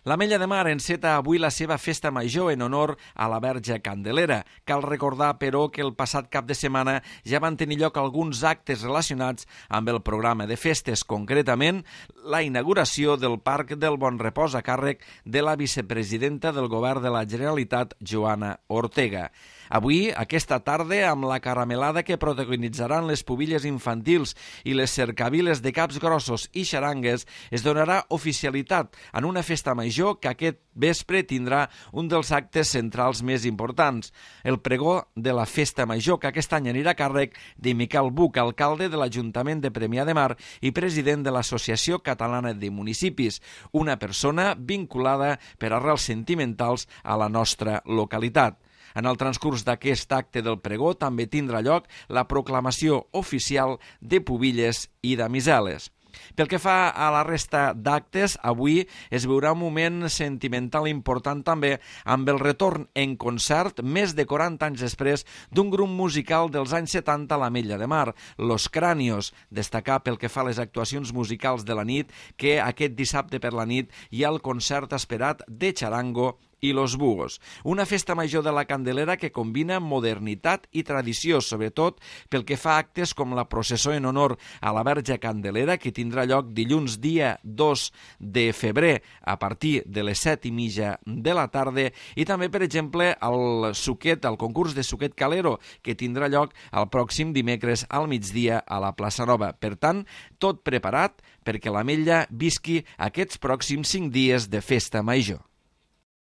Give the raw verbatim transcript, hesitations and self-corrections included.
L'Ametlla de Mar enceta avui la seva festa major en honor a la Verge Candelera. Cal recordar, però, que el passat cap de setmana ja van tenir lloc alguns actes relacionats amb el programa de festes, concretament la inauguració del Parc del Bon Repòs a càrrec de la vicepresidenta del Govern de la Generalitat, Joana Ortega. Avui, aquesta tarda, amb la caramelada que protagonitzaran les pubilles infantils i les cercaviles de caps grossos i xarangues, es donarà oficialitat en una festa major que aquest vespre tindrà un dels actes centrals més importants, el pregó de la festa major, que aquest any anirà a càrrec de Miquel Buch, alcalde de l'Ajuntament de Premià de Mar i president de l'Associació Catalana de Municipis, una persona vinculada per arrels sentimentals a la nostra localitat. En el transcurs d'aquest acte del pregó també tindrà lloc la proclamació oficial de pubilles i damiseles. Pel que fa a la resta d'actes, avui es veurà un moment sentimental important també amb el retorn en concert més de quaranta anys després d'un grup musical dels anys setanta a l'Ametlla de Mar, Los Cranios. Destacar pel que fa a les actuacions musicals de la nit que aquest dissabte per la nit hi ha el concert esperat de Charango i Los Bugos. Una festa major de la Candelera que combina modernitat i tradició, sobretot pel que fa a actes com la processó en honor a la Verge Candelera, que tindrà lloc dilluns dia dos de febrer a partir de les set i mitja de la tarda, i també, per exemple, el suquet, el concurs de suquet calero, que tindrà lloc el pròxim dimecres al migdia a la plaça Nova. Per tant, tot preparat perquè l'Ametlla visqui aquests pròxims cinc dies de festa major.